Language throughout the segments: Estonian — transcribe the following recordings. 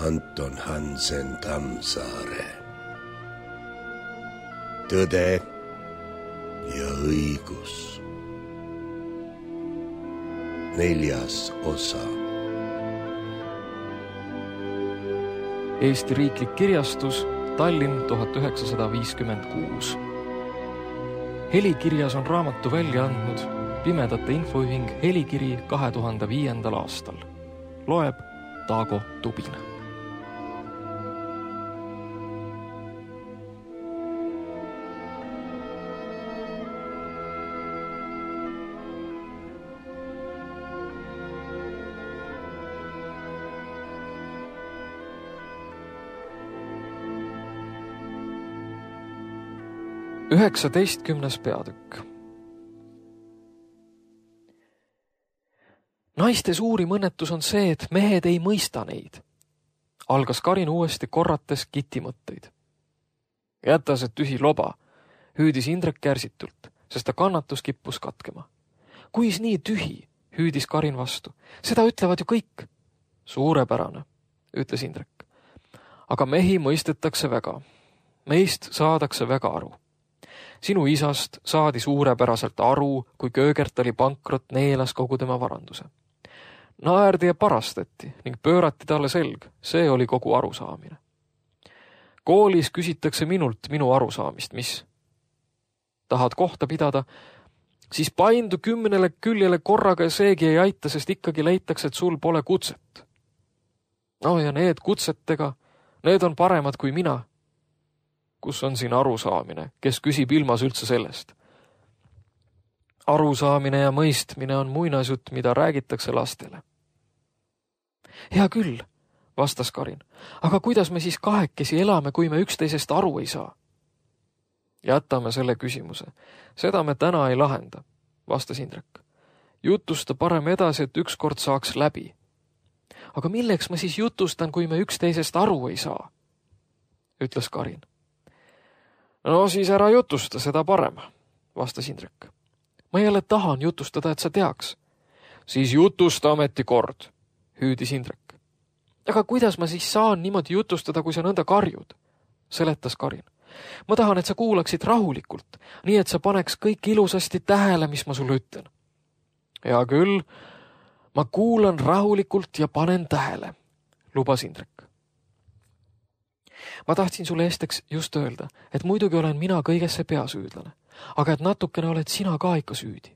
Anton Hansen Tammsaare. Tõde ja õigus. 4. osa. Eesti Riiklik Kirjastus, Tallinn 1956. Helikirjas on raamatu välja andnud Pimedate Infoühing Helikiri 2005. aastal. Loeb Taago Tubin. Üheksateistkümnes peatükk. Naiste suurim õnnetus on see, et mehed ei mõista neid. Algas Karin uuesti korrates Kiti mõtteid. Jäta see tühi loba, hüüdis Indrek kärsitult, sest ta kannatus kippus katkema. Kuis nii tühi, hüüdis Karin vastu. Seda ütlevad ju kõik. Suurepärane, ütles Indrek. Aga mehi mõistetakse väga. Meist saadakse väga aru. Sinu isast saadi suurepäraselt aru, kui Köögert oli pankrot, neelas kogu tema varanduse. Naerdi ja parastati ning pöörati talle selg, see oli kogu arusaamine. Koolis küsitakse minult minu arusaamist, mis? Tahad kohta pidada, siis paindu 10 küljele korraga ja seegi ei aita, sest ikkagi leitakse, et sul pole kutset. No ja need kutsetega, need on paremad kui mina. Kus on siin arusaamine, kes küsib ilmas üldse sellest? Arusaamine ja mõistmine on muinasjutt, mida räägitakse lastele. Hea küll, vastas Karin, aga kuidas me siis kahekesi elame, kui me üksteisest aru ei saa? Jätame selle küsimuse. Seda me täna ei lahenda, vastas Indrek. Jutusta parem edasi, et ükskord saaks läbi. Aga milleks ma siis jutustan, kui me üksteisest aru ei saa? Ütles Karin. No siis ära jutusta, seda parem, vastas Indrek. Ma jälle tahan jutustada, et sa teaks. Siis jutusta ametikord, hüüdis Indrek. Aga kuidas ma siis saan niimoodi jutustada, kui sa nõnda karjud? Seletas Karin. Ma tahan, et sa kuulaksid rahulikult, nii et sa paneks kõik ilusasti tähele, mis ma sulle ütlen. Hea küll, ma kuulan rahulikult ja panen tähele, lubas Indrek. Ma tahtsin sulle esteks just öelda, et muidugi olen mina kõigesse peasüüdlane, aga et natukene oled sina ka ikka süüdi.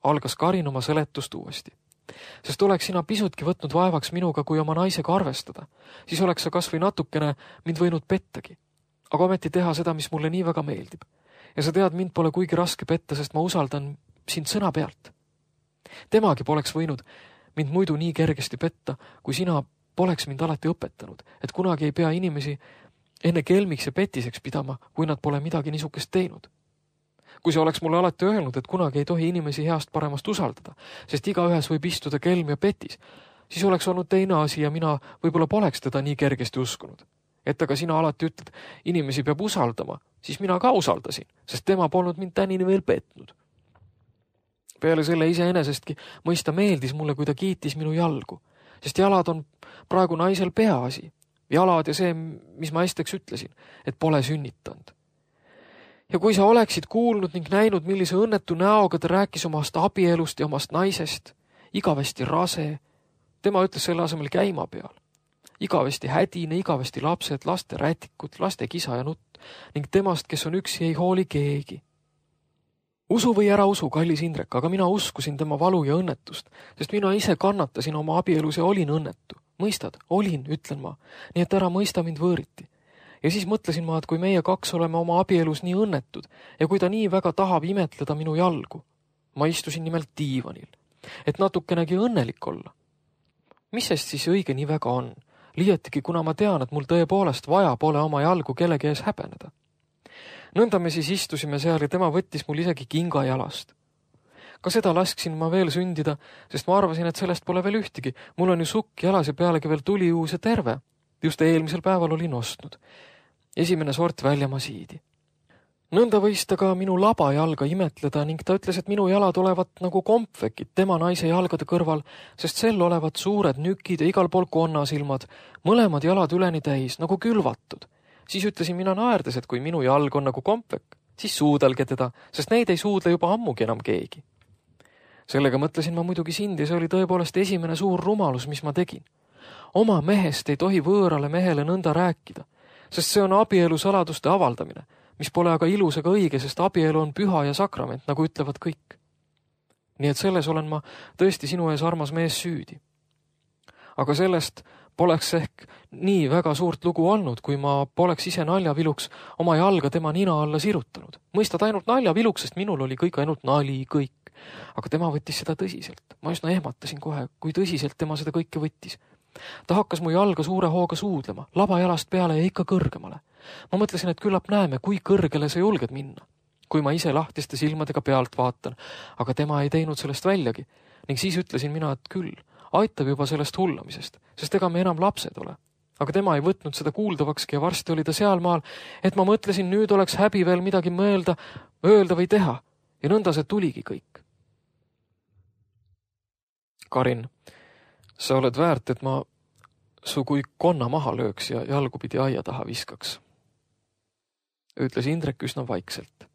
Algas Karin oma seletust uuesti. Sest oleks sina pisutki võtnud vaevaks minuga, kui oma naisega arvestada, siis oleks sa kas või natukene mind võinud pettagi. Aga ometi teha seda, mis mulle nii väga meeldib. Ja sa tead, mind pole kuigi raske petta, sest ma usaldan sind sõna pealt. Temagi poleks võinud mind muidu nii kergesti petta, kui sina poleks mind alati õpetanud, et kunagi ei pea inimesi enne kelmiks ja petiseks pidama, kui nad pole midagi niisugust teinud. Kui sa oleks mulle alati öelnud, et kunagi ei tohi inimesi heast paremast usaldada, sest igaühes võib istuda kelm ja petis, siis oleks olnud teine asi ja mina võib-olla poleks teda nii kergesti uskunud. Et aga sina alati ütled, inimesi peab usaldama, siis mina ka usaldasin, sest tema polnud mind tänini veel petnud. Peale selle iseenesestki mõista meeldis mulle, kui ta kiitis minu jalgu, sest jalad on praegu naisel peaasi. Jalad ja see, mis ma esteks ütlesin, et pole sünnitanud. Ja kui sa oleksid kuulnud ning näinud, millise õnnetu näoga ta rääkis omast abielust ja omast naisest, igavesti rase, tema ütles selle asemel käima peal. Igavesti hädine, igavesti lapsed, laste rätikud, laste kisa ja nutt ning temast, kes on üksi, ei hooli keegi. Usu või ära usu, kallis Indrek, aga mina uskusin tema valu ja õnnetust, sest mina ise kannatasin oma abielus ja olin õnnetu. Mõistad? Olin, ütlen ma, nii et ära mõista mind võõriti. Ja siis mõtlesin ma, et kui meie kaks oleme oma abielus nii õnnetud ja kui ta nii väga tahab imetleda minu jalgu, ma istusin nimelt diivanil, et natukenegi õnnelik olla. Mis sest siis õige nii väga on? Liiatigi, kuna ma tean, et mul tõepoolest vaja pole oma jalgu kellegi ees häbeneda. Nõnda me siis istusime seal ja tema võttis mul isegi kinga jalast. Ka seda lasksin ma veel sündida, sest ma arvasin, et sellest pole veel ühtegi. Mul on ju sukk jalas ja pealegi veel tuli uus ja terve. Just eelmisel päeval olin ostnud. Esimene sort väljamasiidi. Nõnda võis ta ka minu laba jalga imetleda ning ta ütles, et minu jalad olevat nagu kompvekid tema naise jalgade kõrval, sest sel olevat suured nükid ja igal pool konnasilmad, mõlemad jalad üleni täis, nagu külvatud. Siis ütlesin mina naerdes, et kui minu jalg on nagu kompvek, siis suudelge teda, sest neid ei suudle juba ammugi enam keegi. Sellega mõtlesin ma muidugi sind ja see oli tõepoolest esimene suur rumalus, mis ma tegin. Oma mehest ei tohi võõrale mehele nõnda rääkida, sest see on abielu saladuste avaldamine, mis pole aga ilus ega õige, sest abielu on püha ja sakrament, nagu ütlevad kõik. Nii et selles olen ma tõesti sinu ees, armas mees, süüdi. Aga sellest poleks ehk nii väga suurt lugu olnud, kui ma poleks ise naljaviluks oma jalga tema nina alla sirutanud. Mõistad ainult naljaviluks, sest minul oli kõik ainult nali, kõik. Aga tema võttis seda tõsiselt. Ma üsna ehmatasin kohe, kui tõsiselt tema seda kõike võttis. Ta hakkas mu jalga suure hooga suudlema, laba jalast peale ja ikka kõrgemale. Ma mõtlesin, et küllap näeme, kui kõrgele sa julged minna, kui ma ise lahtiste silmadega pealt vaatan, aga tema ei teinud sellest väljagi ning siis ütlesin mina, et küll, aitab juba sellest hullamisest, sest ega me enam lapsed ole. Aga tema ei võtnud seda kuuldavakski ja varsti oli ta sealmaal, et ma mõtlesin, nüüd oleks häbi veel midagi mõelda, öelda või teha ja nõnda see tuligi kõik. Karin, sa oled väärt, et ma su kui konna maha lööks ja jalgupidi aia taha viskaks, ütles Indrek üsna vaikselt.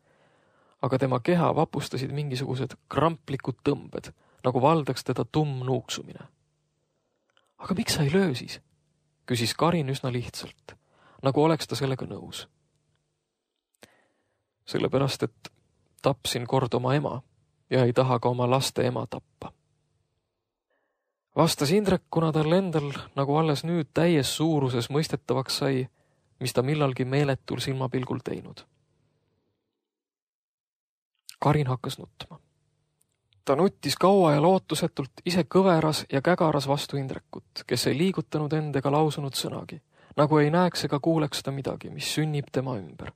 Aga tema keha vapustasid mingisugused kramplikud tõmbed, nagu valdaks teda nuuksumine. Aga miks sa ei löö siis? Küsis Karin üsna lihtsalt, nagu oleks ta sellega nõus. Sellepärast, et tapsin kord oma ema ja ei taha ka oma laste ema tappa. Vastas Indrek, kuna tal endal nagu alles nüüd täies suuruses mõistetavaks sai, mis ta millalgi meeletul silmapilgul teinud. Karin hakkas nutma. Ta nuttis kaua ja lootusetult, ise kõveras ja kägaras vastu Indrekut, kes ei liigutanud end ega lausunud sõnagi, nagu ei näeks ega kuuleks ta midagi, mis sünnib tema ümber.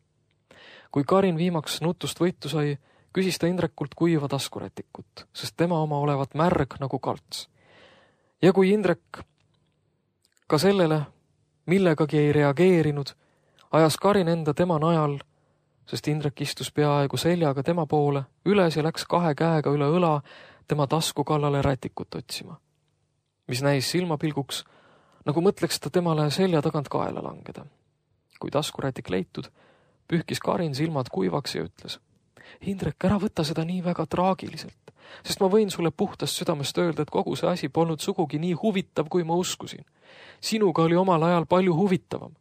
Kui Karin viimaks nutust võitu sai, küsis ta Indrekult kuiva taskurätikut, sest tema oma olevat märg nagu kalts. Ja kui Indrek ka sellele millegagi ei reageerinud, ajas Karin enda tema najal, sest Indrek istus peaaegu seljaga tema poole, üles ja läks 2 käega üle õla tema tasku kallale rätikut otsima, mis näis silmapilguks, nagu mõtleks ta temale selja tagant kaela langeda. Kui taskurätik leitud, pühkis Karin silmad kuivaks ja ütles, Indrek, ära võta seda nii väga traagiliselt, sest ma võin sulle puhtast südamest öelda, et kogu see asi polnud sugugi nii huvitav, kui ma uskusin. Sinuga oli omal ajal palju huvitavam.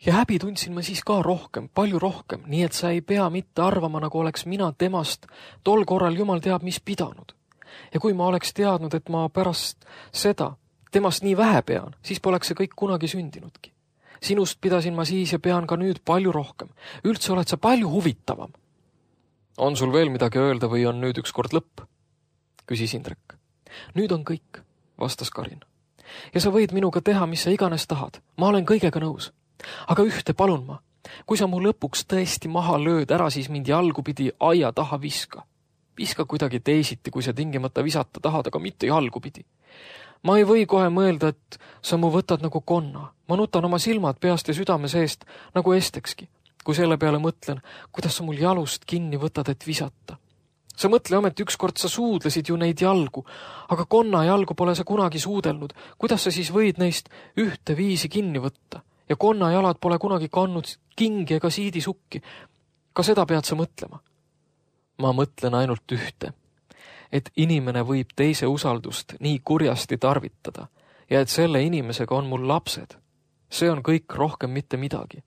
Ja häbi tundsin ma siis ka rohkem, palju rohkem, nii et sa ei pea mitte arvama, nagu oleks mina temast tol korral jumal teab mis pidanud. Ja kui ma oleks teadnud, et ma pärast seda temast nii vähe pean, siis poleks see kõik kunagi sündinudki. Sinust pidasin ma siis ja pean ka nüüd palju rohkem. Üldse oled sa palju huvitavam. On sul veel midagi öelda või on nüüd ükskord lõpp? Küsis Indrek. Nüüd on kõik, vastas Karin. Ja sa võid minuga teha, mis sa iganes tahad. Ma olen kõigega nõus. Aga ühte palun ma. Kui sa mu lõpuks tõesti maha lööd, ära siis mind jalgupidi aia taha viska. Viska kuidagi teisiti, kui sa tingimata visata tahad, aga mitte jalgupidi. Ma ei või kohe mõelda, et sa mu võtad nagu konna. Ma nutan oma silmad peast ja südame seest nagu estekski. Kui selle peale mõtlen, kuidas sa mul jalust kinni võtad, et visata. Sa mõtle ometi ükskord sa suudlesid ju neid jalgu, aga konna jalgu pole sa kunagi suudelnud. Kuidas sa siis võid neist ühte viisi kinni võtta? Ja konna jalad pole kunagi kannud kingi ega siidisukki. Ka seda pead sa mõtlema. Ma mõtlen ainult ühte, et inimene võib teise usaldust nii kurjasti tarvitada ja et selle inimesega on mul lapsed. See on kõik rohkem mitte midagi.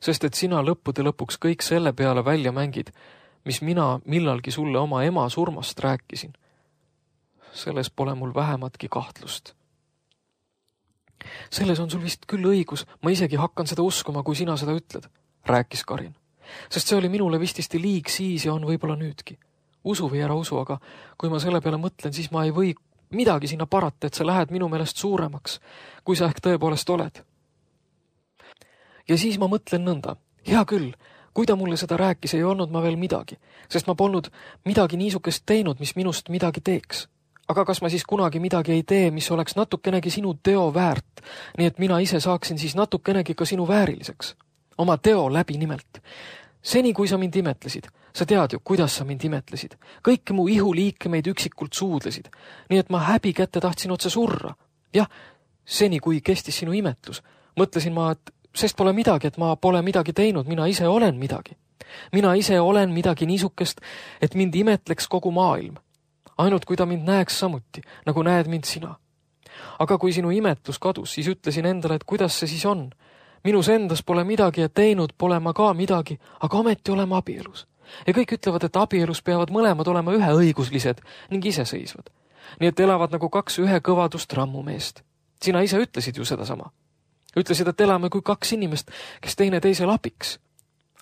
Sest et sina lõppude lõpuks kõik selle peale välja mängid, mis mina millalgi sulle oma ema surmast rääkisin. Selles pole mul vähematki kahtlust. Selles on sul vist küll õigus, ma isegi hakkan seda uskuma, kui sina seda ütled, rääkis Karin. Sest see oli minule vististi liig siis ja on võib-olla nüüdki. Usu või ära usu, aga kui ma selle peale mõtlen, siis ma ei või midagi sinna parata, et sa lähed minu meelest suuremaks, kui sa ehk tõepoolest oled. Ja siis ma mõtlen nõnda, hea küll, kui ta mulle seda rääkis, ei olnud ma veel midagi, sest ma polnud midagi niisugust teinud, mis minust midagi teeks. Aga kas ma siis kunagi midagi ei tee, mis oleks natukenegi sinu teo väärt, nii et mina ise saaksin siis natukenegi ka sinu vääriliseks? Oma teo läbi nimelt. Seni, kui sa mind imetlesid, sa tead ju, kuidas sa mind imetlesid. Kõiki mu ihuliikemeid üksikult suudlesid, nii et ma häbi kätte tahtsin otse surra. Jah, seni, kui kestis sinu imetlus, mõtlesin ma, et sest pole midagi, et ma pole midagi teinud, mina ise olen midagi. Mina ise olen midagi niisukest, et mind imetleks kogu maailm. Ainult kui ta mind näeks samuti, nagu näed mind sina. Aga kui sinu imetlus kadus, siis ütlesin endale, et kuidas see siis on. Minus endas pole midagi ja teinud pole ma ka midagi, aga ometi oleme abielus. Ja kõik ütlevad, et abielus peavad mõlemad olema üheõiguslised ning iseseisvad. Nii et elavad nagu kaks ühe kõvadust rammumeest. Sina ise ütlesid ju sedasama. Ütlesid, et elame kui kaks inimest, kes teine teisel abiks.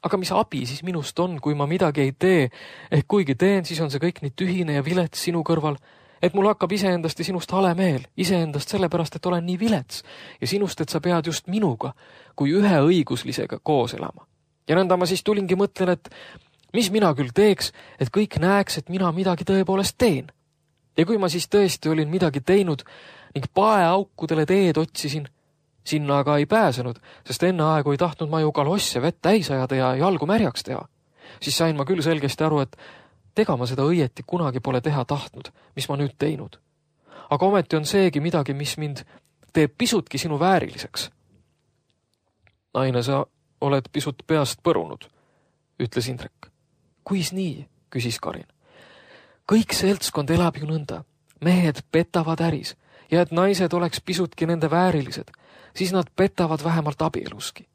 Aga mis abi siis minust on, kui ma midagi ei tee, ehk kuigi teen, siis on see kõik nii tühine ja vilets sinu kõrval, et mul hakkab iseendast ja sinust hale meel, iseendast sellepärast, et olen nii vilets ja sinust, et sa pead just minuga kui ühe õiguslisega koos elama. Ja nõnda ma siis tulingi mõtlen, et mis mina küll teeks, et kõik näeks, et mina midagi tõepoolest teen. Ja kui ma siis tõesti olin midagi teinud ning paeaukudele teed otsisin, sinna aga ei pääsenud, sest enne aegu ei tahtnud ma ju kalosse vett täis ajada ja jalgu märjaks teha. Siis sain ma küll selgesti aru, et tega ma seda õieti kunagi pole teha tahtnud, mis ma nüüd teinud. Aga ometi on seegi midagi, mis mind teeb pisutki sinu vääriliseks. Naine, sa oled pisut peast põrunud, ütles Indrek. Kuis nii, küsis Karin. Kõik seltskond elab ju nõnda. Mehed petavad äris ja et naised oleks pisutki nende väärilised, siis nad petavad vähemalt abieluski.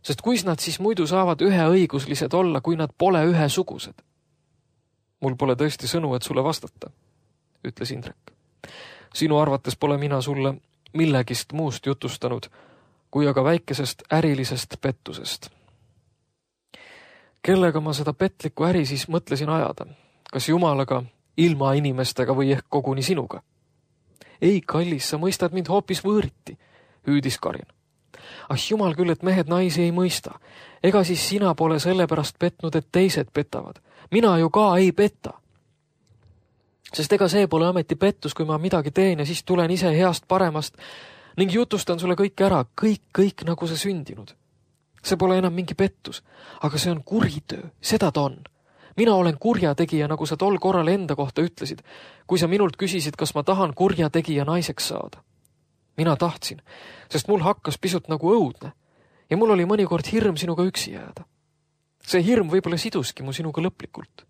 Sest kuis nad siis muidu saavad üheõiguslised olla, kui nad pole ühesugused? Mul pole tõesti sõnu, et sulle vastata, ütles Indrek. Sinu arvates pole mina sulle millegist muust jutustanud, kui aga väikesest ärilisest pettusest. Kellega ma seda petlikku äri siis mõtlesin ajada? Kas Jumalaga, ilma inimestega või ehk koguni sinuga? Ei, kallis, sa mõistad mind hoopis võõriti, hüüdis Karin. Ah, jumal küll, et mehed naisi ei mõista. Ega siis sina pole sellepärast petnud, et teised petavad. Mina ju ka ei petta. Sest ega see pole ameti pettus, kui ma midagi teen ja siis tulen ise heast paremast ning jutustan sulle kõik ära, kõik nagu see sündinud. See pole enam mingi pettus, aga see on kuritöö, seda ta on. Mina olen kurjategija, nagu sa tol korral enda kohta ütlesid, kui sa minult küsisid, kas ma tahan kurjategija naiseks saada. Mina tahtsin, sest mul hakkas pisut nagu õudne ja mul oli mõnikord hirm sinuga üksi jääda. See hirm võib-olla siduski mu sinuga lõplikult.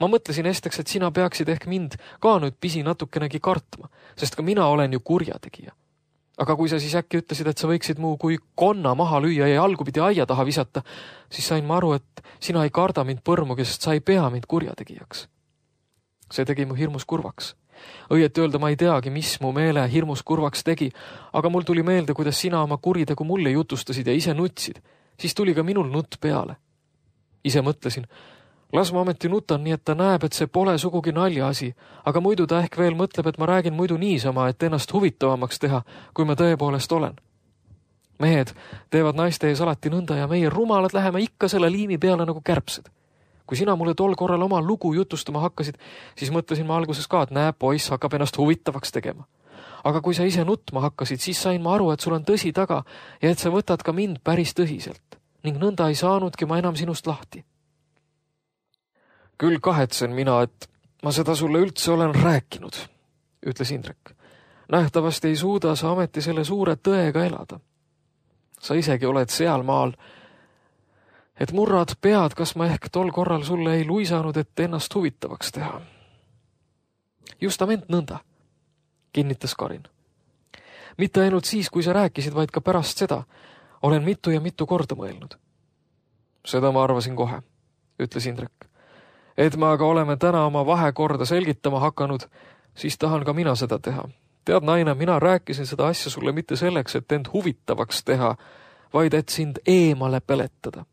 Ma mõtlesin esteks, et sina peaksid ehk mind ka nüüd pisi natukenegi kartma, sest ka mina olen ju kurjategija. Aga kui sa siis äkki ütlesid, et sa võiksid mu kui konna maha lüüa ja jalgupidi aia taha visata, siis sain ma aru, et sina ei karda mind põrmugi, sest sa ei pea mind kurjategijaks. See tegi mu hirmus kurvaks. Õieti öelda ma ei teagi, mis mu meele hirmus kurvaks tegi, aga mul tuli meelde, kuidas sina oma kuritegu mulle jutustasid ja ise nutsid. Siis tuli ka minul nutt peale. Ise mõtlesin, las ma ometi nutan nii, et ta näeb, et see pole sugugi naljaasi, aga muidu ta ehk veel mõtleb, et ma räägin muidu niisama, et ennast huvitavamaks teha, kui ma tõepoolest olen. Mehed teevad naiste ees alati nõnda ja meie rumalad läheme ikka selle liimi peale nagu kärbsed. Kui sina mulle tol korral oma lugu jutustama hakkasid, siis mõtlesin ma alguses ka, et näe, poiss hakkab ennast huvitavaks tegema. Aga kui sa ise nutma hakkasid, siis sain ma aru, et sul on tõsi taga ja et sa võtad ka mind päris tõsiselt. Ning nõnda ei saanudki ma enam sinust lahti. Küll kahetsen mina, et ma seda sulle üldse olen rääkinud, ütles Indrek. Nähtavasti ei suuda sa ameti selle suure tõega elada. Sa isegi oled seal maal, et murrad pead, kas ma ehk tol korral sulle ei luisanud, et ennast huvitavaks teha. Justament nõnda, kinnitas Karin. Mitte ainult siis, kui sa rääkisid, vaid ka pärast seda olen mitu ja mitu korda mõelnud. Seda ma arvasin kohe, ütles Indrek. Et me aga oleme täna oma vahekorda selgitama hakanud, siis tahan ka mina seda teha. Tead, naine, mina rääkisin seda asja sulle mitte selleks, et end huvitavaks teha, vaid et sind eemale peletada.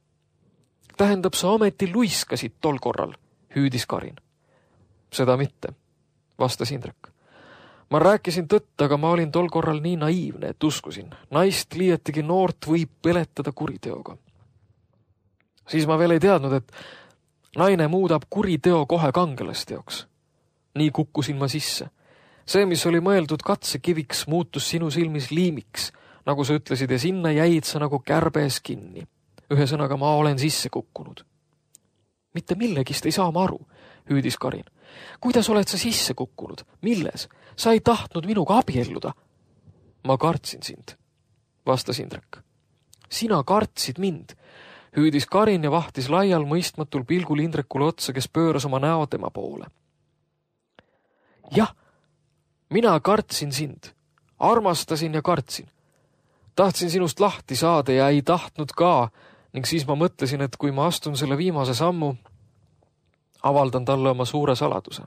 Tähendab, sa ometi luiskasid tol korral, hüüdis Karin. Seda mitte, vastas Indrek. Ma rääkisin tõtt, aga ma olin tol korral nii naiivne, et uskusin. Naist liietigi noort võib peletada kuriteoga. Siis ma veel ei teadnud, et naine muudab kuriteo kohe kangelasteoks. Nii kukkusin ma sisse. See, mis oli mõeldud katsekiviks, muutus sinu silmis liimiks, nagu sa ütlesid, ja sinna jäid sa nagu kärbes kinni. Ühesõnaga, ma olen sisse kukkunud. Mitte millegist ei saa ma aru, hüüdis Karin. Kuidas oled sa sisse kukkunud? Milles? Sa ei tahtnud minuga abielluda. Ma kartsin sind, vastas Indrek. Sina kartsid mind, hüüdis Karin ja vahtis laial mõistmatul pilgul Indrekule otsa, kes pööras oma näo tema poole. Jah, mina kartsin sind, armastasin ja kartsin. Tahtsin sinust lahti saada ja ei tahtnud ka, ning siis ma mõtlesin, et kui ma astun selle viimase sammu, avaldan talle oma suure saladuse,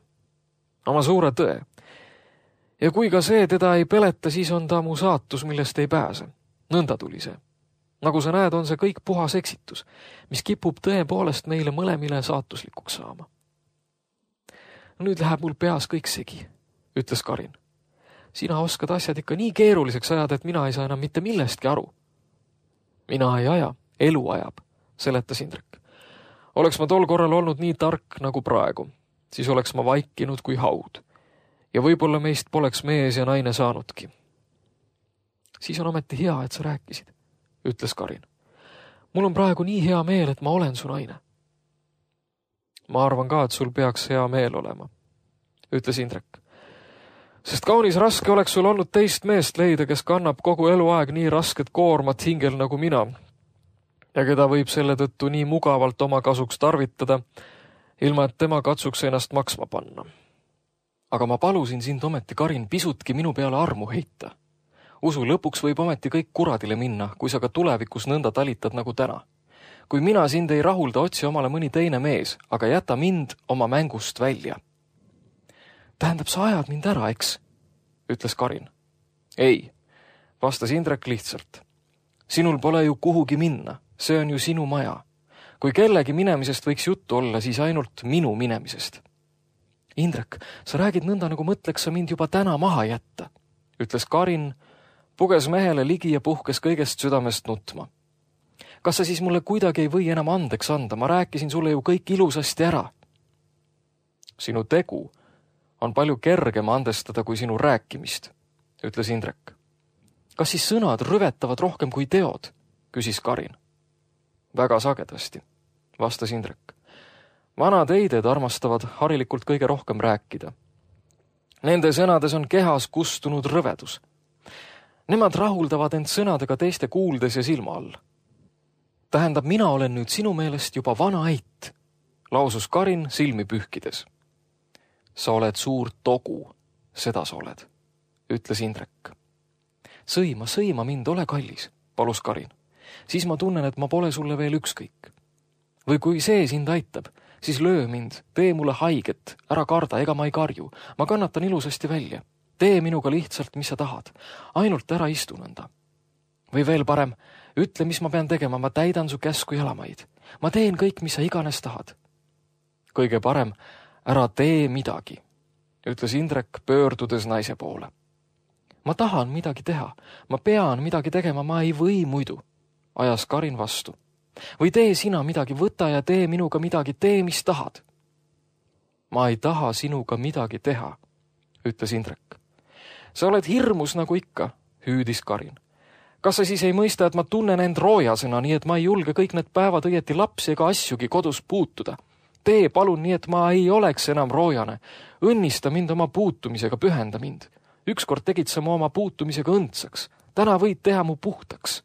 oma suure tõe. Ja kui ka see teda ei peleta, siis on ta mu saatus, millest ei pääse. Nõnda tuli see. Nagu sa näed, on see kõik puhas eksitus, mis kipub tõepoolest meile mõlemile saatuslikuks saama. Nüüd läheb mul peas kõik segi, ütles Karin. Sina oskad asjad ikka nii keeruliseks ajada, et mina ei saa enam mitte millestki aru. Mina ei aja, elu ajab, seletas Indrek. Oleks ma tol korral olnud nii tark nagu praegu, siis oleks ma vaikinud kui haud. Ja võib-olla meist poleks mees ja naine saanudki. Siis on ometi hea, et sa rääkisid, ütles Karin. Mul on praegu nii hea meel, et ma olen su naine. Ma arvan ka, et sul peaks hea meel olema, ütles Indrek. Sest kaunis raske oleks sul olnud teist meest leida, kes kannab kogu eluaeg nii rasket koormat hingel nagu mina ja keda võib selle tõttu nii mugavalt oma kasuks tarvitada, ilma et tema katsuks ennast maksma panna. Aga ma palusin sind ometi, Karin, pisutki minu peale armu heita. Usu, lõpuks võib ometi kõik kuradile minna, kui sa ka tulevikus nõnda talitad nagu täna. Kui mina sind ei rahulda, otsi omale mõni teine mees, aga jäta mind oma mängust välja. Tähendab, sa ajad mind ära, eks? Ütles Karin. Ei, vastas Indrek lihtsalt. Sinul pole ju kuhugi minna, see on ju sinu maja. Kui kellegi minemisest võiks juttu olla, siis ainult minu minemisest. Indrek, sa räägid nõnda, nagu mõtleks sa mind juba täna maha jätta, ütles Karin, puges mehele ligi ja puhkes kõigest südamest nutma. Kas sa siis mulle kuidagi ei või enam andeks anda? Ma rääkisin sulle ju kõik ilusasti ära. Sinu tegu on palju kergem andestada kui sinu rääkimist, ütles Indrek. Kas siis sõnad rüvetavad rohkem kui teod, küsis Karin. Väga sagedasti, vastas Indrek. Vanad eided armastavad harilikult kõige rohkem rääkida. Nende sõnades on kehas kustunud rõvedus. Nemad rahuldavad end sõnadega teiste kuuldes ja silma all. Tähendab, mina olen nüüd sinu meelest juba vana eit, lausus Karin silmi pühkides. Sa oled suur togu, seda sa oled, ütles Indrek. Sõima mind, ole kallis, palus Karin. Siis ma tunnen, et ma pole sulle veel ükskõik. Või kui see sind aitab, siis löö mind, tee mulle haiget, ära karda, ega ma ei karju. Ma kannatan ilusasti välja. Tee minuga lihtsalt, mis sa tahad. Ainult ära istu nõnda. Või veel parem, ütle, mis ma pean tegema, ma täidan su käsku jalamaid. Ma teen kõik, mis sa iganes tahad. Kõige parem, ära tee midagi, ütles Indrek pöördudes naise poole. Ma tahan midagi teha, ma pean midagi tegema, ma ei või muidu, ajas Karin vastu. Või tee sina midagi, võta ja tee minuga midagi, tee, mis tahad. Ma ei taha sinuga midagi teha, ütles Indrek. Sa oled hirmus nagu ikka, hüüdis Karin. Kas sa siis ei mõista, et ma tunnen end roojasena, nii et ma ei julge kõik need päevad õieti lapsi ega asjugi kodus puutuda? Tee palun nii, et ma ei oleks enam roojane. Õnnista mind oma puutumisega, pühenda mind. Ükskord tegid sa mu oma puutumisega õndsaks. Täna võid teha mu puhtaks.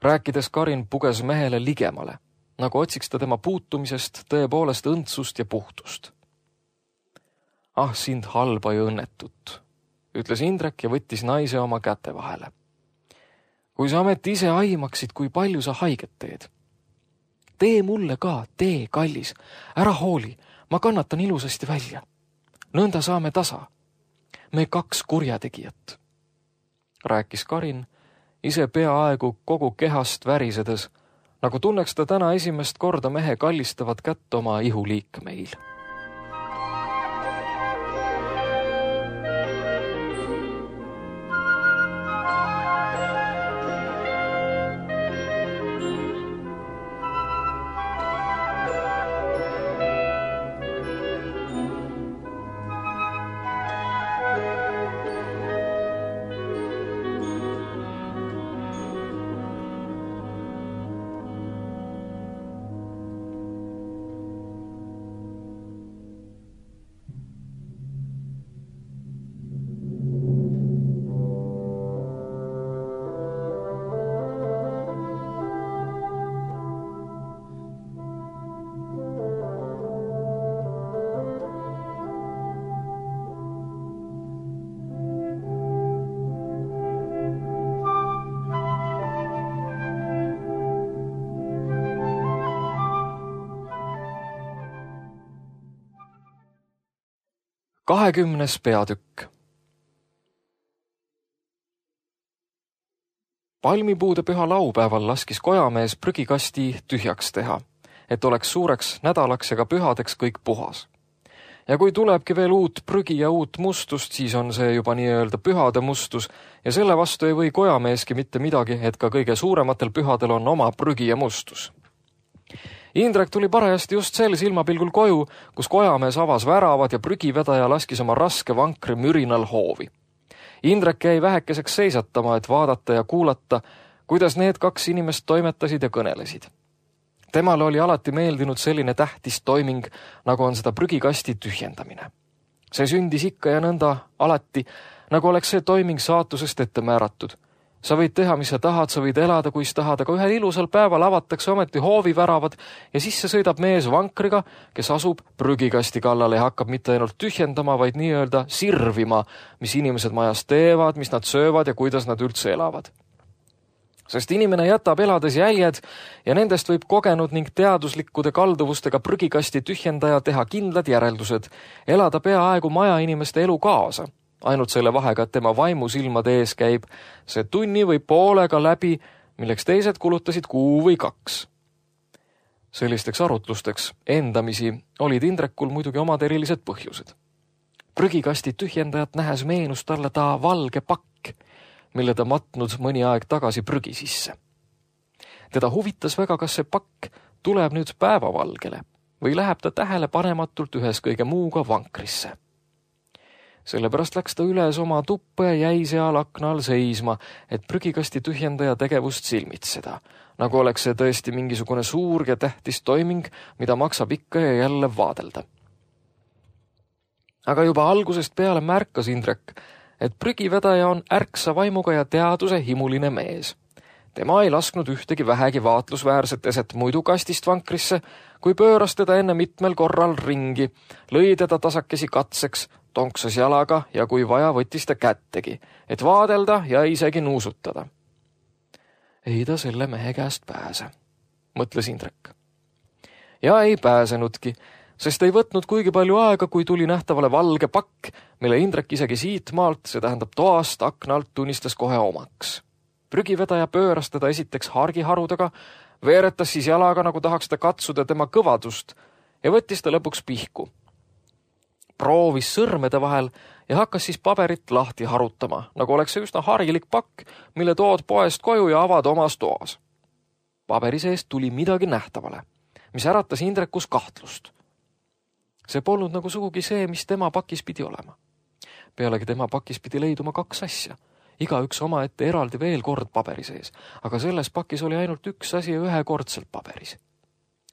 Rääkides Karin puges mehele ligemale, nagu otsiks ta tema puutumisest tõepoolest õndsust ja puhtust. Ah, sind halba ja õnnetut, ütles Indrek ja võttis naise oma käte vahele. Kui sa ometi ise aimaksid, kui palju sa haiget teed. Tee mulle ka, tee, kallis, ära hooli, ma kannatan ilusasti välja. Nõnda saame tasa. Me kaks kurjategijat. Rääkis Karin, ise peaaegu kogu kehast värisedes, nagu tunneks ta täna esimest korda mehe kallistavat kätt oma ihuliikmeil. 20. peatükk. Palmipuude püha laupäeval laskis kojamees prügikasti tühjaks teha, et oleks suureks nädalaks ja ka pühadeks kõik puhas. Ja kui tulebki veel uut prügi ja uut mustust, siis on see juba nii-öelda pühade mustus ja selle vastu ei või kojameeski mitte midagi, et ka kõige suurematel pühadel on oma prügi ja mustus. Indrek tuli parajasti just sel silmapilgul koju, kus kojamees avas väravad ja prügivedaja laskis oma raske vankri mürinal hoovi. Indrek jäi vähekeseks seisatama, et vaadata ja kuulata, kuidas need kaks inimest toimetasid ja kõnelesid. Temale oli alati meeldinud selline tähtis toiming, nagu on seda prügikasti tühjendamine. See sündis ikka ja nõnda alati, nagu oleks see toiming saatusest ette määratud. Sa võid teha, mis sa tahad, sa võid elada, kuis tahad, aga ühel ilusal päeval avatakse ometi hooviväravad ja sisse sõidab mees vankriga, kes asub prügikasti kallale ja hakkab mitte ainult tühjendama, vaid nii-öelda sirvima, mis inimesed majas teevad, mis nad söövad ja kuidas nad üldse elavad. Sest inimene jätab elades jäljed ja nendest võib kogenud ning teaduslikkude kalduvustega prügikasti tühjendaja teha kindlad järeldused, elada peaaegu maja inimeste elu kaasa. Ainult selle vahega, et tema vaimusilmade ees käib see tunni või poolega läbi, milleks teised kulutasid 1 või 2. Sellisteks arutlusteks endamisi olid Indrekul muidugi omad erilised põhjused. Prügikasti tühjendajat nähes meenus talle ta valge pakk, mille ta matnud mõni aeg tagasi prügi sisse. Teda huvitas väga, kas see pakk tuleb nüüd päevavalgele või läheb ta tähelepanematult ühes kõige muuga vankrisse. Sellepärast läks ta üles oma tuppa ja jäi seal akna all seisma, et prügikasti tühjendaja tegevust silmitseda, nagu oleks see tõesti mingisugune suur ja tähtis toiming, mida maksab ikka ja jälle vaadelda. Aga juba algusest peale märkas Indrek, et prügivedaja on ärksa vaimuga ja teaduse himuline mees. Tema ei lasknud ühtegi vähegi vaatlusväärset eset muidu kastist vankrisse, kui pööras teda enne mitmel korral ringi, lõi teda tasakesi katseks, tonksas jalaga ja kui vaja võttis ta kättegi, et vaadelda ja isegi nuusutada. Ei ta selle mehe käest pääse, mõtles Indrek. Ja ei pääsenudki, sest ei võtnud kuigi palju aega, kui tuli nähtavale valge pakk, mille Indrek isegi siit maalt, see tähendab toast aknalt, tunnistas kohe omaks. Prügivedaja pööras teda esiteks hargiharudega, veeretas siis jalaga, nagu tahaks ta katsuda tema kõvadust ja võttis ta lõpuks pihku. Proovis sõrmede vahel ja hakkas siis paberit lahti harutama, nagu oleks see üsna harilik pakk, mille tood poest koju ja avad omas toas. Paberi seest tuli midagi nähtavale, mis äratas Indrekus kahtlust. See polnud nagu sugugi see, mis tema pakis pidi olema. Pealegi tema pakis pidi leiduma 2 asja, igaüks omaette eraldi veel kord paberi sees, aga selles pakis oli ainult 1 asi ühekordselt paberis.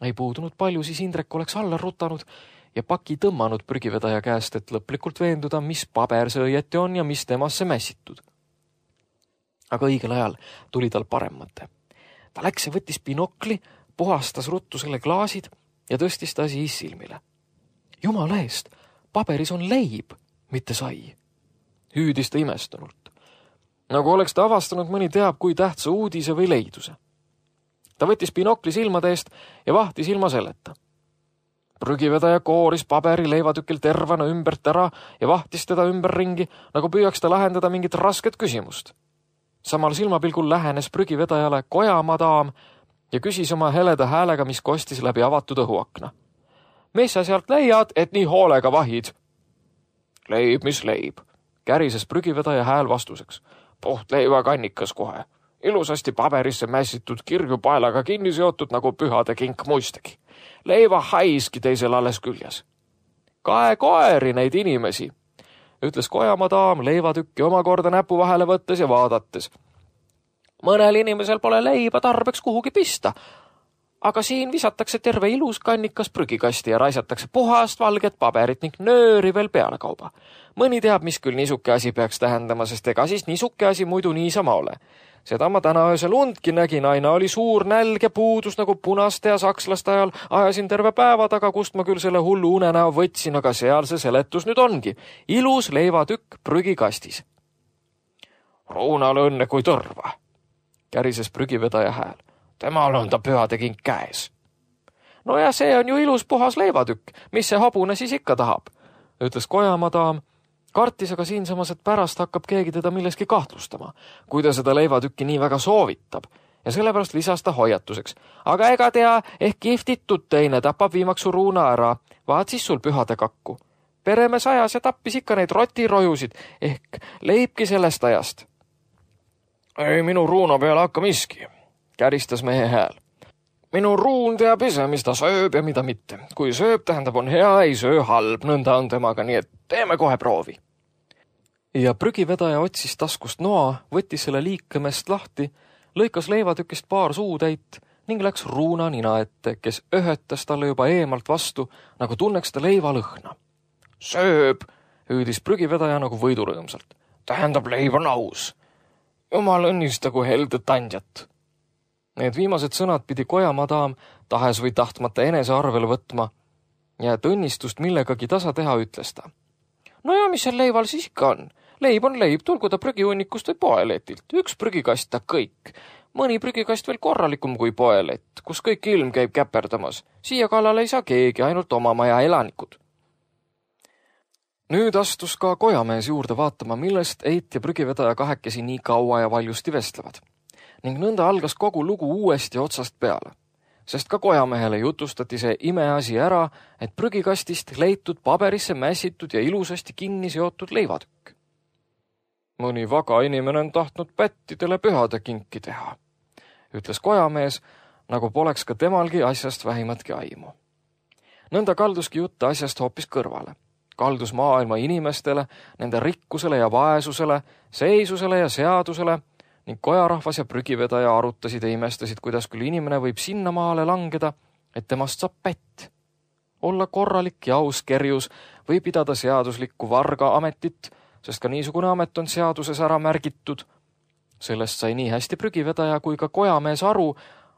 Ei puudunud palju, siis Indrek oleks alla rutanud ja paki tõmmanud prügivedaja käest, et lõplikult veenduda, mis paber see õieti on ja mis temasse mässitud. Aga õigel ajal tuli tal parem mõte. Ta läks ja võttis binokli, puhastas ruttu selle klaasid ja tõstis ta siis silmile. Jumala eest, paberis on leib, mitte sai. Hüüdis ta imestunult. Nagu oleks ta avastanud mõni teab kui tähtsa uudise või leiduse. Ta võttis binokli silmade eest ja vahtis ilma selleta. Prügivedaja kooris paberi leivatükil tervana ümbert ära ja vahtis teda ümberringi, nagu püüaks ta lahendada mingit rasket küsimust. Samal silmapilgul lähenes prügivedajale kojamadaam ja küsis oma heleda häälega, mis kostis läbi avatud õhuakna. Mis sa sealt leiad, et nii hoolega vahid? Leib, mis leib, kärises prügivedaja hääl vastuseks. Puht leivakannikas kohe. Ilusasti paberisse mässitud kirju paelaga kinni seotud nagu pühade kink muistegi. Leiva haiski teisel alles küljes. Kae koeri neid inimesi, ütles kojamadaam leivatükki omakorda näpu vahele võttes ja vaadates. Mõnel inimesel pole leiba tarbeks kuhugi pista, aga siin visatakse terve ilus kannikas prügikasti ja raisatakse puhast valget paberit ning nööri veel peale kauba. Mõni teab, mis küll niisuke asi peaks tähendama, sest ega siis niisuke asi muidu niisama ole. Seda ma täna öösel undki nägin, aina oli suur nälg ja puudus nagu punaste ja sakslaste ajal. Ajasin terve päeva taga, kust ma küll selle hullu unenäo võtsin, aga seal see seletus nüüd ongi. Ilus leivatükk prügikastis. Ruunal õnne kui tõrva, kärises prügivedaja hääl. Temal on ta pühade kink käes. No ja see on ju ilus puhas leivatükk, mis see hobune siis ikka tahab? ütles kojamadam, kartis aga siinsamas, et pärast hakkab keegi teda milleski kahtlustama, kui ta seda leivatükki nii väga soovitab, ja sellepärast lisas ta hoiatuseks. Aga ega tea, ehk kihvtitud teine tapab viimaks su Ruuna ära, vaat siis sul pühade kakku. Peremees ajas ja tappis ikka neid rotirojusid, ehk leibki sellest ajast. Ei minu Ruuna peale hakka miski, käristas mehe hääl. Minu Ruun teab ise, mis ta sööb ja mida mitte. Kui sööb, tähendab on hea, ei söö halb, nõnda on temaga, nii et teeme kohe proovi. Ja prügivedaja otsis taskust noa, võttis selle liikemest lahti, lõikas leivatükist paar suutäit ning läks Ruuna nina ette, kes öhötas talle juba eemalt vastu, nagu tunneks ta leiva lõhna. Sööb, hüüdis prügivedaja nagu võidurõõmsalt. Tähendab, leib on aus. Jumal õnnistagu heldet andjat. Need viimased sõnad pidi kojamadam tahes või tahtmata enese arvele võtma ja et õnnistust millegagi tasa teha, ütles ta. No ja mis seal leival siis ikka on? Leib on leib, tulgu ta prügihunnikust või poeletilt. Üks prügikast ta kõik. Mõni prügikast veel korralikum kui poelett, kus kõik ilm käib käperdamas. Siia kallale ei saa keegi, ainult oma maja elanikud. Nüüd astus ka kojamees juurde vaatama, millest Eit ja prügivedaja kahekesi nii kaua ja valjusti vestlevad. Ning nõnda algas kogu lugu uuesti otsast peale, sest ka kojamehele jutustati see imeasi ära, et prügikastist leitud paberisse mässitud ja ilusasti kinni seotud leivatükk. Mõni vaga inimene on tahtnud pättidele pühade kinki teha, ütles kojamees, nagu poleks ka temalgi asjast vähimatki aimu. Nõnda kalduski jutt asjast hoopis kõrvale. Kaldus maailma inimestele, nende rikkusele ja vaesusele, seisusele ja seadusele ning kojarahvas ja prügivedaja arutasid ja imestasid, kuidas küll inimene võib sinna maale langeda, et temast saab pätt. Olla korralik ja aus kerjus või pidada seaduslikku varga ametit, sest ka niisugune amet on seaduses ära märgitud. Sellest sai nii hästi prügivedaja kui ka kojamees aru,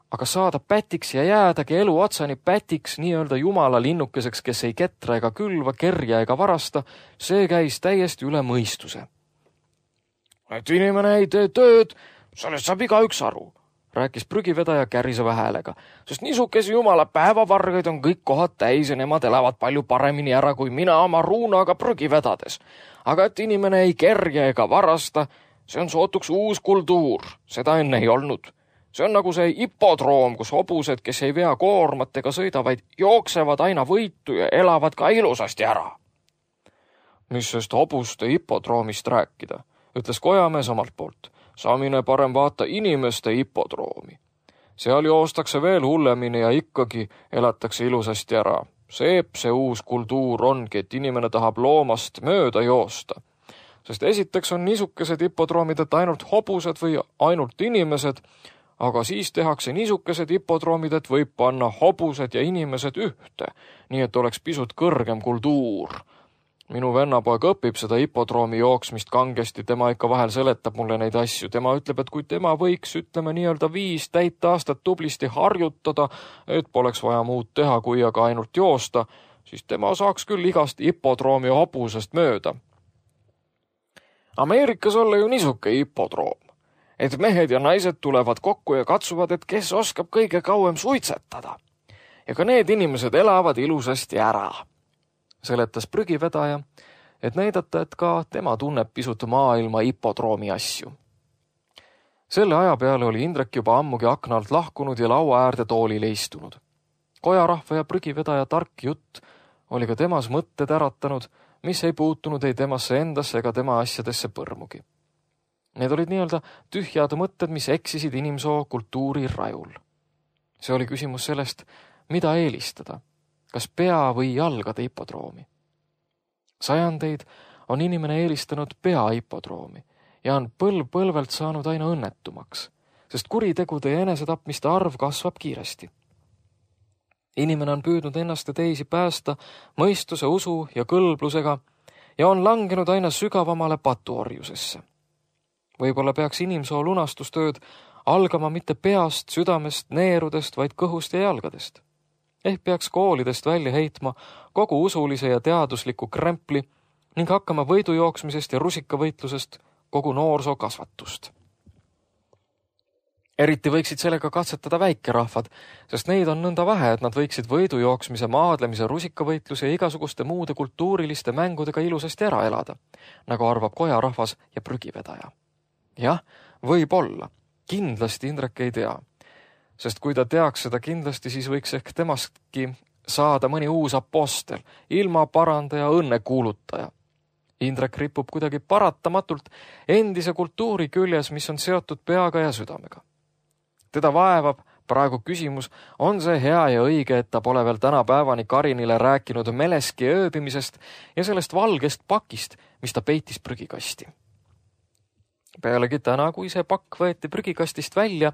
aga saada pätiks ja jäädagi elu otsani pätiks, nii-öelda jumala linnukeseks, kes ei ketra ega külva, kerja ega varasta, see käis täiesti üle mõistuse. Et inimene ei tee tööd, sellest saab igaüks aru, rääkis prügivedaja käriseva häälega, sest niisugesi jumala päevavargaid on kõik kohad täis ja nemad elavad palju paremini ära kui mina oma Ruunaga prügi vedades. Aga et inimene ei kerja ega varasta, see on sootuks uus kultuur, seda enne ei olnud. See on nagu see hipodroom, kus hobused, kes ei vea koormat ega sõida, vaid jooksevad aina võitu ja elavad ka ilusasti ära. Mis sest hobuste hipodroomist rääkida, ütles kojamees omalt poolt. Saamine parem vaata inimeste hipodroomi. Seal joostakse veel hullemini ja ikkagi elatakse ilusasti ära. See uus kultuur ongi, et inimene tahab loomast mööda joosta. Sest esiteks on niisugused hipodroomid, et ainult hobused või ainult inimesed, aga siis tehakse niisugused hipodroomid, et võib panna hobused ja inimesed ühte, nii et oleks pisut kõrgem kultuur. Minu vennapoeg õpib seda hipodroomi jooksmist kangesti, tema ikka vahel seletab mulle neid asju. Tema ütleb, et kui tema võiks, ütleme nii-öelda 5 täit aastat tublisti harjutada, et poleks vaja muud teha, kui aga ainult joosta, siis tema saaks küll igast hipodroomi hobusest mööda. Ameerikas olla ju niisuke hipodroom, et mehed ja naised tulevad kokku ja katsuvad, et kes oskab kõige kauem suitsetada. Ja ka need inimesed elavad ilusasti ära, seletas prügivedaja, et näidata, et ka tema tunneb pisut maailma hipodroomi asju. Selle aja peale oli Indrek juba ammugi akna alt lahkunud ja laua äärde toolile istunud. Kojarahva ja prügivedaja tark jutt oli ka temas mõtted äratanud, mis ei puutunud ei temasse endasse ega tema asjadesse põrmugi. Need olid nii-öelda tühjad mõtted, mis eksisid inimsoo kultuuri rajul. See oli küsimus sellest, mida eelistada, kas pea või jalgade hipodroomi. Sajandeid on inimene eelistanud pea hipodroomi ja on põlvelt saanud aina õnnetumaks, sest kuritegude ja enesetapmiste arv kasvab kiiresti. Inimene on püüdnud ennast ja teisi päästa mõistuse, usu ja kõlblusega ja on langenud aina sügavamale patuorjusesse. Võib-olla peaks inimsoo lunastustööd algama mitte peast, südamest, neerudest, vaid kõhust ja jalgadest. Ehk peaks koolidest välja heitma kogu usulise ja teadusliku krempli ning hakkama võidujooksmisest ja rusikavõitlusest kogu noorsoo kasvatust. Eriti võiksid sellega katsetada väikerahvad, sest neid on nõnda vähe, et nad võiksid võidujooksmise, maadlemise, rusikavõitluse ja igasuguste muude kultuuriliste mängudega ilusasti ära elada, nagu arvab kojarahvas ja prügivedaja. Jah, võib-olla. Kindlasti Indrek ei tea. Sest kui ta teaks seda kindlasti, siis võiks ehk temastki saada mõni uus apostel, ilmaparandaja, õnnekuulutaja. Indrek ripub kuidagi paratamatult endise kultuuri küljes, mis on seotud peaga ja südamega. Teda vaevab praegu küsimus, on see hea ja õige, et ta pole veel tänapäevani Karinile rääkinud meleski ööbimisest ja sellest valgest pakist, mis ta peitis prügikasti. Pealegi täna, kui see pakk võeti prügikastist välja,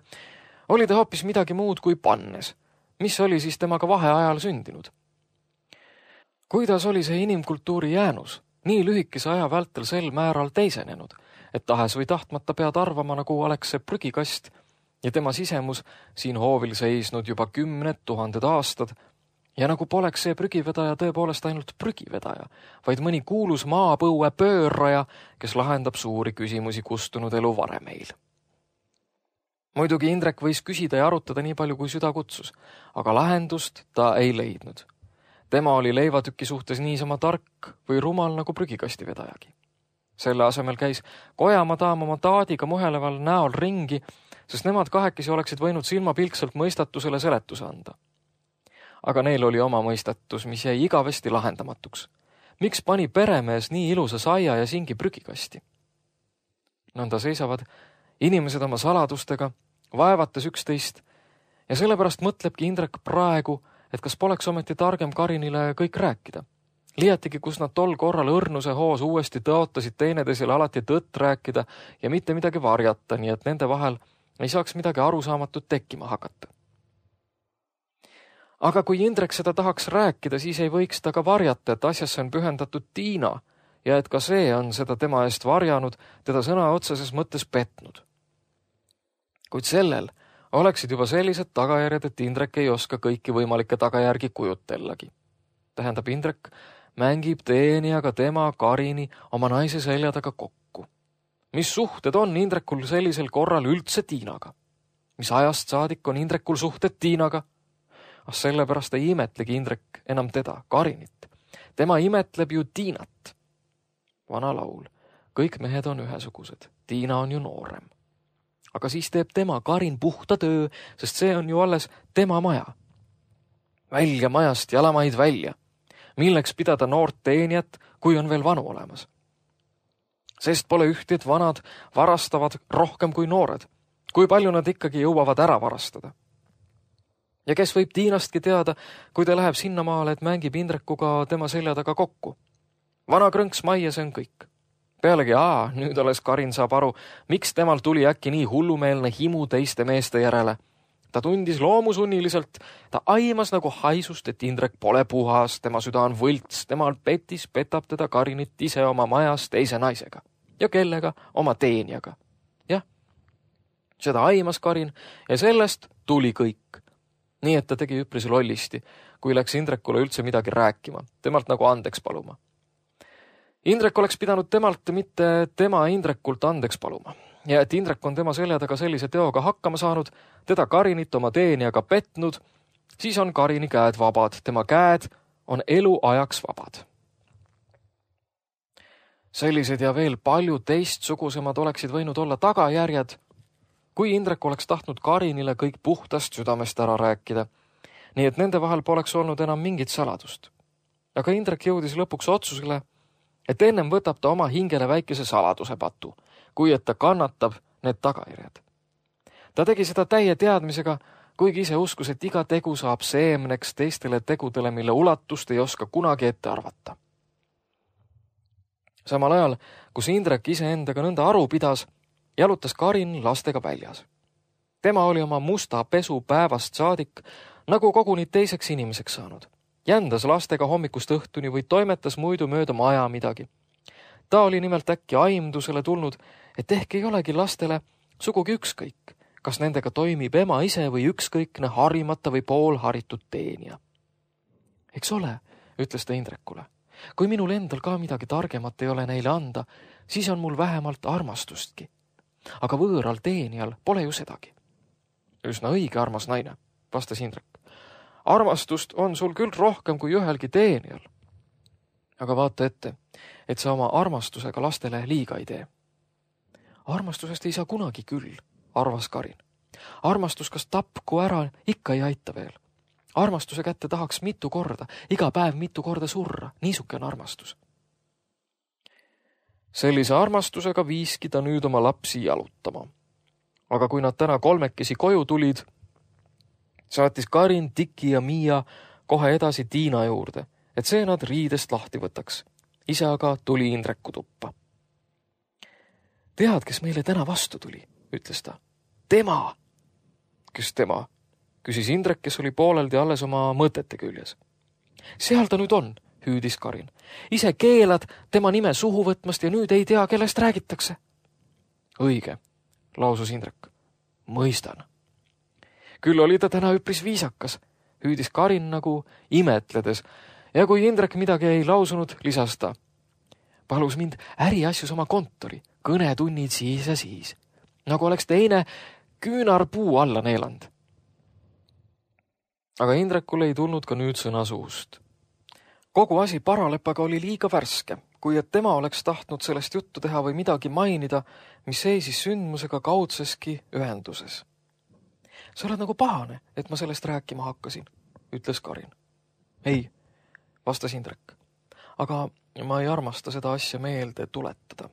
oli ta hoopis midagi muud kui pannes, mis oli siis temaga vaheajal sündinud. Kuidas oli see inimkultuuri jäänus, nii lühikese aja vältel sel määral teisenenud, et tahes või tahtmata pead arvama, nagu oleks see prügikast ja tema sisemus siin hoovil seisnud juba 10 000 aastad ja nagu poleks see prügivedaja tõepoolest ainult prügivedaja, vaid mõni kuulus maapõue pöörraja, kes lahendab suuri küsimusi kustunud elu varemeil. Muidugi Indrek võis küsida ja arutada nii palju, kui süda kutsus, aga lahendust ta ei leidnud. Tema oli leivatüki suhtes niisama tark või rumal nagu prügikasti vedajagi. Selle asemel käis kojamadaam oma taadiga muheleval näol ringi, sest nemad kahekesi oleksid võinud silmapilkselt mõistatusele seletuse anda. Aga neil oli oma mõistatus, mis jäi igavesti lahendamatuks. Miks pani peremees nii ilusa saia ja singi prügikasti? Nõnda seisavad inimesed oma saladustega, vaevates üksteist, ja sellepärast mõtlebki Indrek praegu, et kas poleks ometi targem Karinile kõik rääkida. Liiatigi, kus nad tol korral õrnuse hoos uuesti tõotasid teineteisele alati tõtt rääkida ja mitte midagi varjata, nii et nende vahel ei saaks midagi arusaamatut tekkima hakata. Aga kui Indrek seda tahaks rääkida, siis ei võiks ta ka varjata, et asjasse on pühendatud Tiina ja et ka see on seda tema eest varjanud, teda sõna otseses mõttes petnud. Kuid sellel oleksid juba sellised tagajärjed, et Indrek ei oska kõiki võimalikke tagajärgi kujutellagi. Tähendab, Indrek mängib teenijaga tema Karini oma naise selja taga kokku. Mis suhted on Indrekul sellisel korral üldse Tiinaga? Mis ajast saadik on Indrekul suhted Tiinaga? Sellepärast ei imetlegi Indrek enam teda, Karinit. Tema imetleb ju Tiinat. Vana laul. Kõik mehed on ühesugused. Tiina on ju noorem. Aga siis teeb tema, Karin, puhta töö, sest see on ju alles tema maja. Välja majast, jalamaid välja. Milleks pidada noort teenijat, kui on veel vanu olemas? Sest pole ühti, et vanad varastavad rohkem kui noored. Kui palju nad ikkagi jõuavad ära varastada? Ja kes võib Tiinastki teada, kui ta läheb sinnamaale, et mängib Indrekuga tema selja taga kokku? Vana krõnks majja, see on kõik. Pealegi, nüüd alles Karin saab aru, miks temal tuli äkki nii hullumeelne himu teiste meeste järele. Ta tundis loomusunniliselt, ta aimas nagu haisust, et Indrek pole puhas, tema süda on võlts, temal petab teda Karinit ise oma majas teise naisega. Ja kellega? Oma teenijaga. Jah, seda aimas Karin ja sellest tuli kõik. Nii et ta tegi üpris lollisti, kui läks Indrekule üldse midagi rääkima, temalt nagu andeks paluma. Indrek oleks pidanud temalt mitte tema Indrekult andeks paluma. Ja et Indrek on tema selja taga sellise teoga hakkama saanud, teda Karinit oma teenijaga petnud, siis on Karini käed vabad, tema käed on eluajaks vabad. Sellised ja veel palju teistsugusemad oleksid võinud olla tagajärjed, kui Indrek oleks tahtnud Karinile kõik puhtast südamest ära rääkida, nii et nende vahel poleks olnud enam mingit saladust. Aga Indrek jõudis lõpuks otsusele, et ennem võtab ta oma hingele väikese saladuse patu, kui et ta kannatab need tagajärjed. Ta tegi seda täie teadmisega, kuigi ise uskus, et iga tegu saab seemneks teistele tegudele, mille ulatust ei oska kunagi ette arvata. Samal ajal, kus Indrek iseendaga nõnda aru pidas, jalutas Karin lastega väljas. Tema oli oma musta pesu päevast saadik nagu koguni teiseks inimeseks saanud. Jändas lastega hommikust õhtuni või toimetas muidu mööda maja midagi. Ta oli nimelt äkki aimdusele tulnud, et ehk ei olegi lastele sugugi ükskõik, kas nendega toimib ema ise või ükskõikne harimata või poolharitud teenija. Eks ole, ütles ta Indrekule. Kui minul endal ka midagi targemat ei ole neile anda, siis on mul vähemalt armastustki. Aga võõral teenijal pole ju sedagi. Üsna õige, armas naine, vastas Indrek. Armastust on sul küll rohkem kui ühelgi teenijal. Aga vaata ette, et sa oma armastusega lastele liiga ei tee. Armastusest ei saa kunagi küll, arvas Karin. Armastus kas tapku ära, ikka ei aita veel. Armastuse kätte tahaks mitu korda, iga päev mitu korda surra, niisuke on armastus. Sellise armastusega viiski ta nüüd oma lapsi jalutama. Aga kui nad täna kolmekesi koju tulid, saatis Karin, Tiki ja Miia kohe edasi Tiina juurde, et see nad riidest lahti võtaks. Ise aga tuli Indreku tuppa. Tead, kes meile täna vastu tuli, ütles ta. Tema! Kes tema? Küsis Indrek, kes oli pooleldi alles oma mõtete küljes. Seal ta nüüd on, hüüdis Karin. Ise keelad tema nime suhu võtmast ja nüüd ei tea, kellest räägitakse. Õige, lausus Indrek. Mõistan. Küll oli ta täna üpris viisakas, hüüdis Karin nagu imetledes, ja kui Indrek midagi ei lausunud, lisas ta. Palus mind äriasjus oma kontori, kõnetunnid siis ja siis, nagu oleks teine küünarpuu alla neeland. Aga Indrekul ei tulnud ka nüüd sõna suust. Kogu asi paralepaga oli liiga värske, kui et tema oleks tahtnud sellest juttu teha või midagi mainida, mis seisis sündmusega kaudseski ühenduses. Sa oled nagu pahane, et ma sellest rääkima hakkasin, ütles Karin. Ei, vastas Indrek. Aga ma ei armasta seda asja meelde tuletada.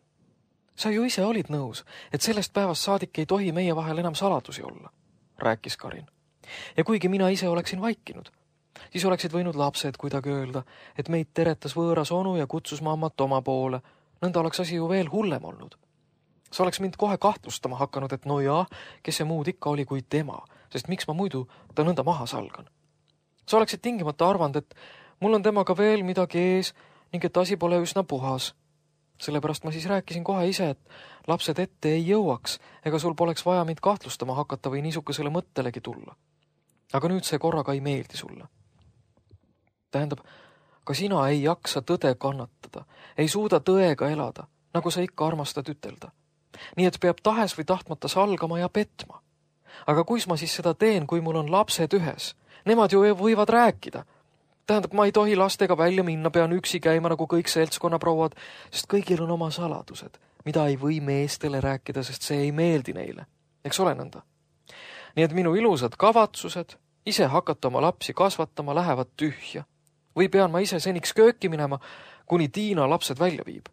Sa ju ise olid nõus, et sellest päevast saadik ei tohi meie vahel enam saladusi olla, rääkis Karin. Ja kuigi mina ise oleksin vaikinud, siis oleksid võinud lapsed kuidagi öelda, et meid teretas võõras onu ja kutsus mammat oma poole. Nõnda oleks asi ju veel hullem olnud. Sa oleks mind kohe kahtlustama hakanud, et no jaa, kes see muud ikka oli kui tema, sest miks ma muidu ta nõnda maha salgan. Sa oleksid tingimata arvanud, et mul on temaga veel midagi ees ning et asi pole üsna puhas. Sellepärast ma siis rääkisin kohe ise, et lapsed ette ei jõuaks, ega sul poleks vaja mind kahtlustama hakata või niisugusele mõttelegi tulla. Aga nüüd see korraga ei meeldi sulle. Tähendab, ka sina ei jaksa tõde kannatada, ei suuda tõega elada, nagu sa ikka armastad ütelda. Nii et peab tahes või tahtmata salgama ja petma. Aga kuis ma siis seda teen, kui mul on lapsed ühes? Nemad ju võivad rääkida. Tähendab, ma ei tohi lastega välja minna, pean üksi käima nagu kõik seltskonnaprouad, sest kõigil on oma saladused, mida ei või meestele rääkida, sest see ei meeldi neile. Eks ole nõnda? Nii et minu ilusad kavatsused, ise hakata oma lapsi kasvatama, lähevad tühja. Või pean ma ise seniks kööki minema, kuni Tiina lapsed välja viib.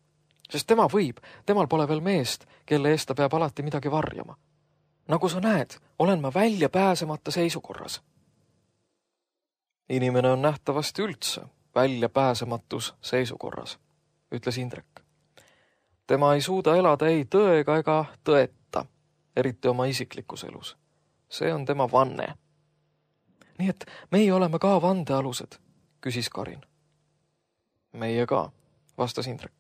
Sest tema võib, temal pole veel meest, kelle eest ta peab alati midagi varjama. Nagu sa näed, olen ma välja pääsemata seisukorras. Inimene on nähtavasti üldse välja pääsematus seisukorras, ütles Indrek. Tema ei suuda elada ei tõega ega tõeta, eriti oma isiklikus elus. See on tema vanne. Nii et meie oleme ka vandealused, küsis Karin. Meie ka, vastas Indrek.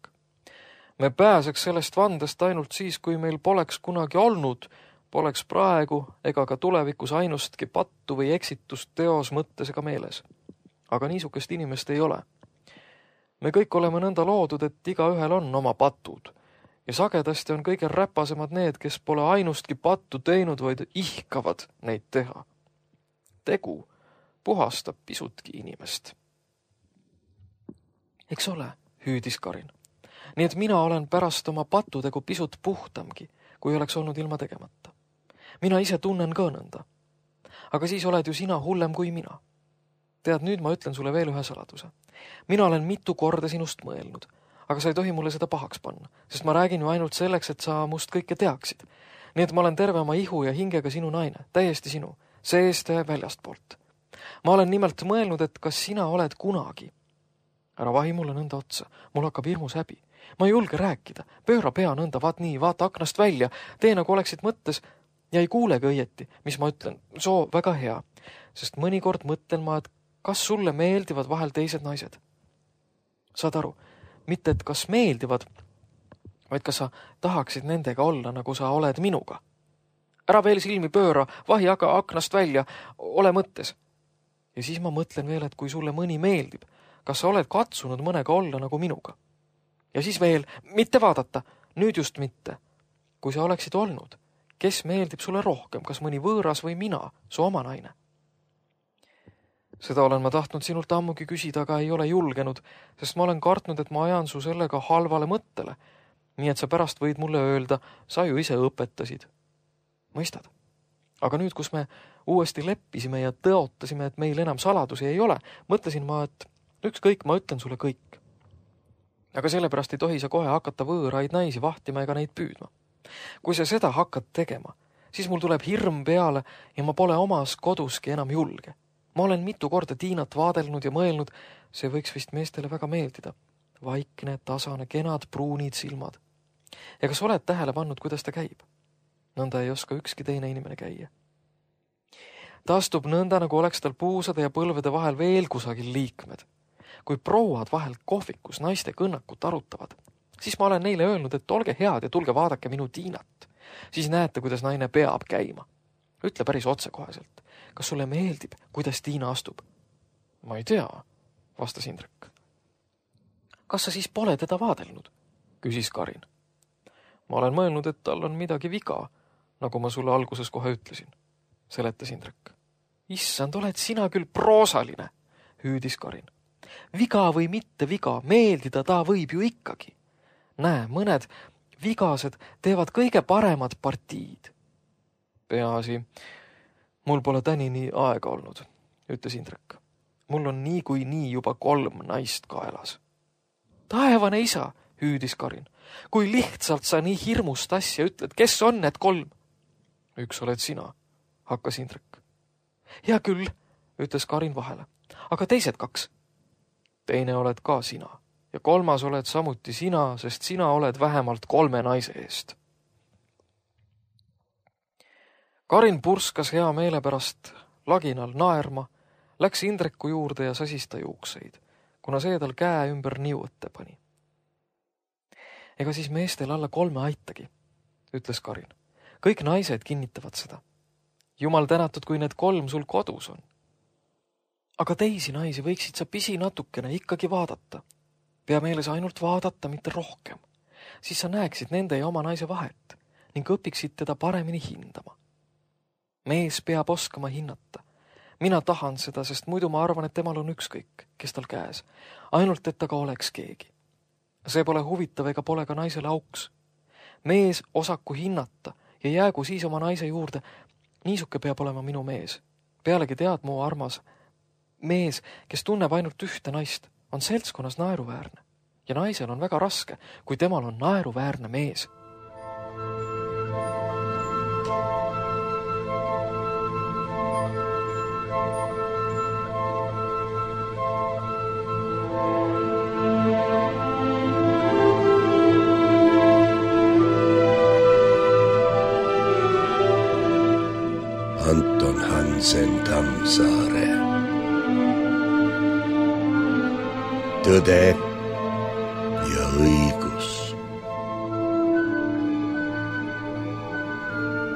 Me pääseks sellest vandest ainult siis, kui meil poleks kunagi olnud, poleks praegu ega ka tulevikus ainustki pattu või eksitust teos mõttes ega meeles. Aga niisugust inimest ei ole. Me kõik oleme nõnda loodud, et igaühel on oma patud. Ja sagedasti on kõige räpasemad need, kes pole ainustki pattu teinud, vaid ihkavad neid teha. Tegu puhastab pisutki inimest. Eks ole, hüüdis Karin. Nii et mina olen pärast oma patutegu pisut puhtamgi, kui oleks olnud ilma tegemata. Mina ise tunnen ka nõnda. Aga siis oled ju sina hullem kui mina. Tead, nüüd ma ütlen sulle veel ühe saladuse. Mina olen mitu korda sinust mõelnud, aga sa ei tohi mulle seda pahaks panna, sest ma räägin ju ainult selleks, et sa must kõike teaksid. Nii et ma olen terve oma ihu ja hingega sinu naine, täiesti sinu, seest ja väljastpoolt. Ma olen nimelt mõelnud, et kas sina oled kunagi. Ära vahi mulle nõnda otsa, mul hakkab hirmus häbi. Ma ei julge rääkida, pööra pea nõnda, vaat nii, vaata aknast välja, tee nagu oleksid mõttes ja ei kuulegi õieti, mis ma ütlen, soo väga hea, sest mõnikord mõtlen ma, et kas sulle meeldivad vahel teised naised. Saad aru, mitte et kas meeldivad, vaid kas sa tahaksid nendega olla, nagu sa oled minuga. Ära veel silmi pööra, vahi aga aknast välja, ole mõttes. Ja siis ma mõtlen veel, et kui sulle mõni meeldib, kas sa oled katsunud mõnega olla nagu minuga. Ja siis veel, mitte vaadata, nüüd just mitte. Kui sa oleksid olnud, kes meeldib sulle rohkem, kas mõni võõras või mina, su oma naine? Seda olen ma tahtnud sinult ammugi küsida, aga ei ole julgenud, sest ma olen kartnud, et ma ajan su sellega halvale mõttele, nii et sa pärast võid mulle öelda, sa ju ise õpetasid. Mõistad? Aga nüüd, kus me uuesti leppisime ja tõotasime, et meil enam saladusi ei ole, mõtlesin ma, et ükskõik, ma ütlen sulle kõik. Aga sellepärast ei tohi sa kohe hakata võõraid naisi vahtima ega neid püüdma. Kui sa seda hakkad tegema, siis mul tuleb hirm peale ja ma pole omas koduski enam julge. Ma olen mitu korda Tiinat vaadelnud ja mõelnud, see võiks vist meestele väga meeldida. Vaikne, tasane, kenad, pruunid silmad. Ja kas oled tähele pannud, kuidas ta käib? Nõnda ei oska ükski teine inimene käia. Ta astub nõnda, nagu oleks tal puusade ja põlvede vahel veel kusagil liikmed. Kui prouad vahel kohvikus naiste kõnnakut arutavad, siis ma olen neile öelnud, et olge head ja tulge vaadake minu Tiinat. Siis näete, kuidas naine peab käima. Ütle päris otsekoheselt. Kas sulle meeldib, kuidas Tiina astub? Ma ei tea, vastas Indrek. Kas sa siis pole teda vaadelnud? Küsis Karin. Ma olen mõelnud, et tal on midagi viga, nagu ma sulle alguses kohe ütlesin, seletas Indrek. Issand, oled sina küll proosaline, hüüdis Karin. Viga või mitte viga, meeldida ta võib ju ikkagi. Näe, mõned vigased teevad kõige paremad partiid. Peaasi, mul pole tänini aega olnud, ütles Indrek. Mul on nii juba 3 naist kaelas. Taevane isa, hüüdis Karin. Kui lihtsalt sa nii hirmust asja ütled, kes on need 3? Üks oled sina, hakkas Indrek. Hea küll, ütles Karin vahele. Aga teised 2? Teine oled ka sina ja 3. oled samuti sina, sest sina oled vähemalt 3 naise eest. Karin purskas hea meele pärast laginal naerma, läks Indreku juurde ja sasis ta juukseid, kuna see tal käe ümber niuõtte pani. Ega siis meestel alla 3 aitagi, ütles Karin. Kõik naised kinnitavad seda. Jumal tänatud, kui need 3 sul kodus on. Aga teisi naisi võiksid sa pisi natukene ikkagi vaadata. Pea meeles ainult vaadata, mitte rohkem. Siis sa näeksid nende ja oma naise vahet ning õpiksid teda paremini hindama. Mees peab oskama hinnata. Mina tahan seda, sest muidu ma arvan, et temal on ükskõik, kes tal käes. Ainult, et ta ka oleks keegi. See pole huvitav ega pole ka naisele auks. Mees osaku hinnata ja jäägu siis oma naise juurde. Niisuke peab olema minu mees. Pealegi tead, mu armas, mees, kes tunneb ainult ühte naist, on seltskonnas naeruväärne. Ja naisel on väga raske, kui temal on naeruväärne mees. Anton Hansen Tammsaare. Tõde ja õigus.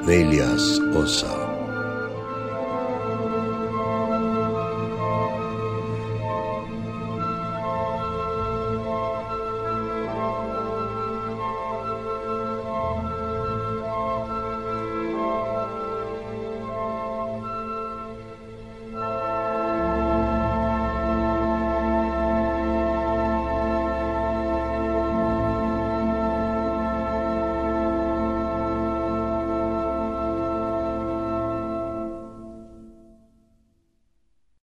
4. osa.